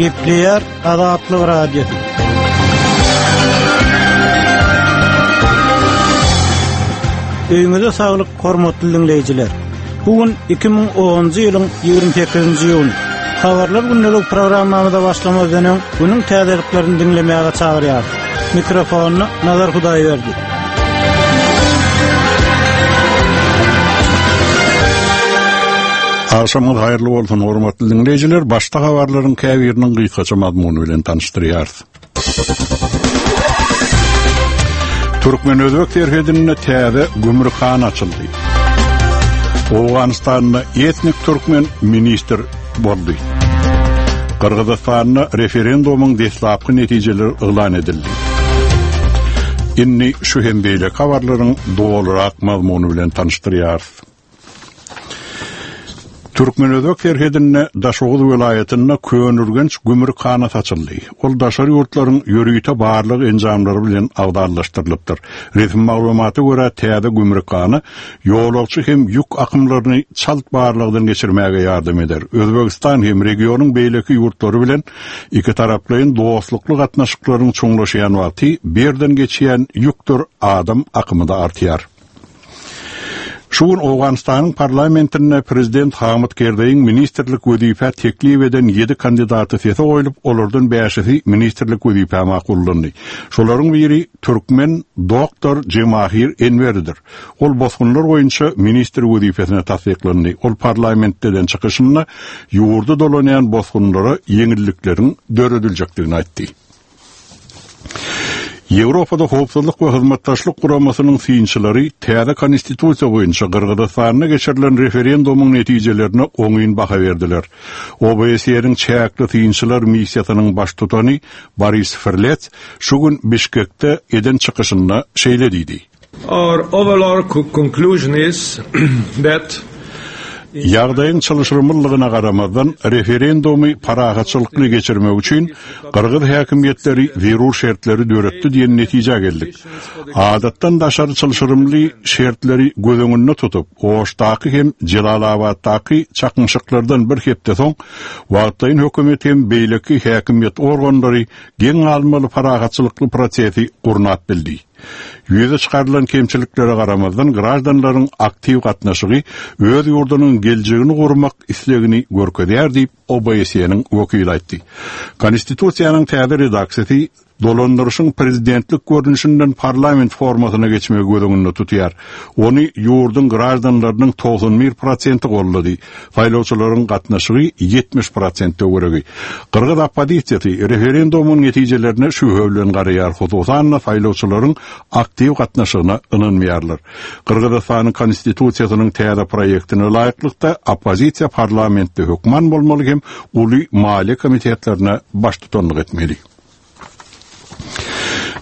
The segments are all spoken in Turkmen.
Gepleýär Azatlyk Radiosy. Öýüňize saglyk, hormatly diňleýjiler. Bu gün 2010-njy ýylyň 28-nji iýuny. Habarlar gündelik programmamyza başlamazdan öň, günüň täzeliklerini diňlemäge çagyrýarys. Mikrofonda Nazar Hudaýberdi. Agşamyňyz haýyrly bolsun, hormatly diňleýjiler! Başda habarlaryň käbiriniň gysgaça mazmuny bilen tanyşdyrýarys. Türkmen-özbek serhedinde täze gümrükhana açyldy. Owganystanda etnik türkmen ministr boldy. Gyrgyzystanda referendumyň deslapky netijeleri yglan edildi. Indi şu hem beýleki habarlaryň dolurak mazmuny bilen tanyşdyrýarys. Türkmen-özbek serhedinde Daşoguz welaýatynda Köneürgenç gümrükhanasy açyldy. Ol daşary ýurtlaryň ýörite barlag enjamlary bilen abzallaşdyrylypdyr. Resmi maglumata görä, täze gümrükhana ýolagçy hem ýük akymlaryny çalt barlagdan geçirmäge ýardam eder. Özbegistan hem regionyň beýleki ýurtlary bilen ikitaraplaýyn dostlukly gatnaşyklaryň çuňlaşýan wagty bu ýerden geçýän ýükdür adam akymy-da artýar. Şu gün Owganystanyň parlamentinde prezident Hamyt Kerzeýiň ministrlik wezipä teklip eden ýedi kandidaty sese goýlup, olardan bäşisi ministrlik wezipä makullandy. Şolaryň biri türkmen doktor Jemahir Enweridir. Ol bosgunlar boýunça ministr wezipesine tassyklandy. Ol parlamentde eden çykyşynda ýurda dolanýan bosgunlara ýeňillikleriň dörediljekdigini aýtdy. Ýewropada Howpsuzlyk we Hyzmatdaşlyk Guramasynyň synçylary täze Konstitusiýa boýunça Gyrgyzystanda geçirilen referendumyň netijelerine oňyn baha berdiler. OBSE-niň çäkli synçylar missiýasynyň baştutany Boris Frlets şu gün Bişkekde eden çykyşynda şeýle diýdi. Our overall conclusion is that Ýagdaýyň çylşyrymlylygyna garamazdan, referendumy parahatçylykly geçirmek üçin gyrgyz häkimiýetleri zerur şertleri döretdi diýen netijä geldik. Adatdan daşary çylşyrymly şertleri göz öňünde tutup, Oşdaky hem Jelalabatdaky çaknyşyklardan bir hepde soň, wagtlaýyn hökümet hem beýleki häkimiýet organlary geň galmaly parahatçylykly prosesi gurnap bildi. Ýüze çykarylan kemçiliklere garamazdan, graždanlaryň aktiw gatnaşygy öz ýurdunyň geljegini gurmak islegini görkezýär diýip, OBSE-niň wekili aýtdy. Konstitusiýanyň täze redaksiýasy dolandyryşyň prezidentlik görnüşinden parlament formasyna geçmegi göz öňünde tutýar. Ony ýurduň graždanlarynyň 91 prosenti goldady. Saýlawçylaryň gatnaşygy 70 prosent töweregi. Gyrgyz oppozisiýasy referendumyň netijelerine şübhe bilen garaýar, hususan-da saýlawçylaryň aktiw gatnaşygyna ynanmaýarlar. Gyrgyzystanyň Konstitusiýasynyň täze proýektine laýyklykda, oppozisiýa parlamentde hökman bolmaly hem uly maliýe komitetlerine baştutanlyk etmeli.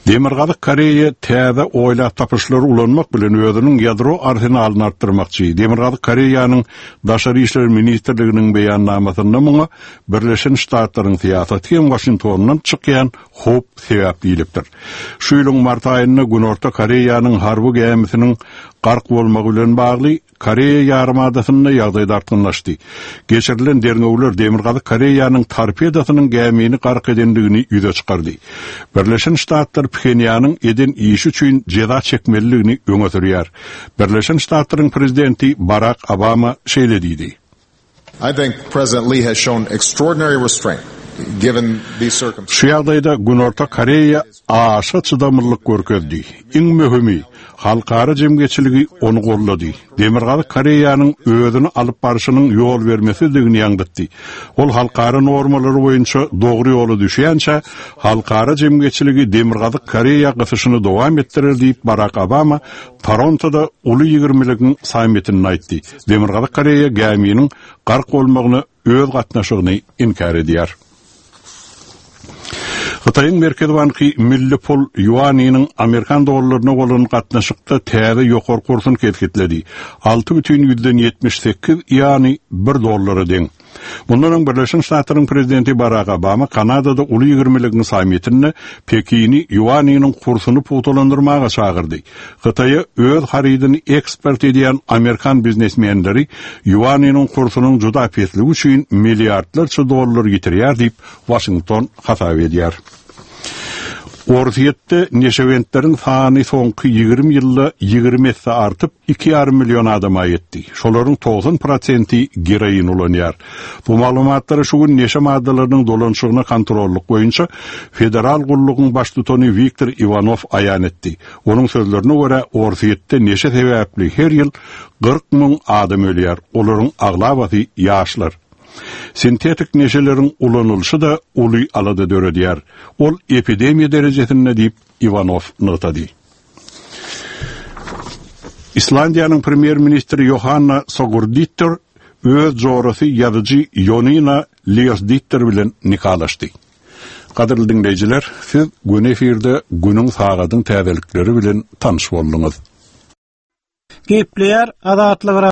Demirgazyk Koreýa täze oýlap tapyşlary ulanmak bilen özüniň ýadro arsenalyny artdyrmakçy. Demirgazyk Koreýanyň Daşary işler ministrliginiň beýannamasynda muňa Birleşen Ştatlaryň syýasaty hem Waşingtondan çykýan howp sebäp diýlipdir. Şu ýylyň mart aýynda Günorta Koreýanyň harby gämisiniň gark bolmagy bilen bagly Koreýa ýarymadasynda ýagdaý dartgynlaşdy. Geçirilen derňewler Demirgazyk Koreýanyň torpedosynyň gämini gark edendigini ýüze çykardy. Birleşen Ştatlar Phenýanyň eden işi üçin jeza çekmelidigini öňe sürýär. Birleşen Ştatlaryň prezidenti Barak Obama şeýle diýdi. I think President Lee has shown extraordinary restraint given these circumstances. Şu ýagdaýda Günorta Koreýa aşa çydamlylyk görkezdi. Iň möhümi, halkara jemgyýetçiligi ony goldady. Demirgazyk Koreýanyň özüni alyp barşynyň ýolbermesizdigini ýaňzytdy. Ol halkara normalary boýunça dogry ýola düşýänçä, halkara jemgyýetçiligi Demirgazyk Koreýa gysyşyny dowam etdirer diýip, Barak Obama Torontoda Uly ýigrimiligiň sammitinde aýtdy. Demirgazyk Koreýa gäminiň gark bolmagyna öz gatnaşygyny inkär edýär. Hytaýyň Merkezi banky milli pul ýuanynyň amerikan dollaryna bolan gatnaşykda täze ýokary kursuny kesgitledi. 6,78 ýuany bir dollara deň. Mundan öň Birleşen Ştatlaryň prezidenti Barak Obama Kanadada Uly ýigrimiligiň sammitinde Pekini ýuanynyň kursuny pugtalandyrmaga çagyrdy. Hytaýa öz harydyny eksport edýän amerikan biznesmenleri ýuanynyň kursunyň juda pesligi üçin milliardlarça dollar ýitirýär diýip, Waşington hasap edýär. Orsýetde neşebentleriň sany soňky 20 ýylda 20 esse artyp, 2,5 million adama ýetdi. Şolaryň 90 prosenti geroin ulanýar. Bu maglumatlary şu gün neşe maddalarynyň dolanyşygyna kontrollyk boýunça Federal gullugyň baştutany Wiktor Iwanow aýan etdi. Onuň sözlerine görä, Orsýetde neşe sebäpli her ýyl 40 müň adam ölýär, olaryň aglabasy ýaşlar. Sintetik neşeleriň ulanylyşy-da uly alada döredýär. Ol epidemiýa derejesinde diýip, Iwanow nygtady. Islandiýanyň premýer-ministri Ýohanna Sogurdittir öz jorasy ýazyjy Ýonina Liosdittir bilen nikalaşdy. Gadyrly diňleýjiler, siz göni efirde günüň sagadyň täzelikleri bilen tanyş bolduňyz. Gepleýär Azatlyk.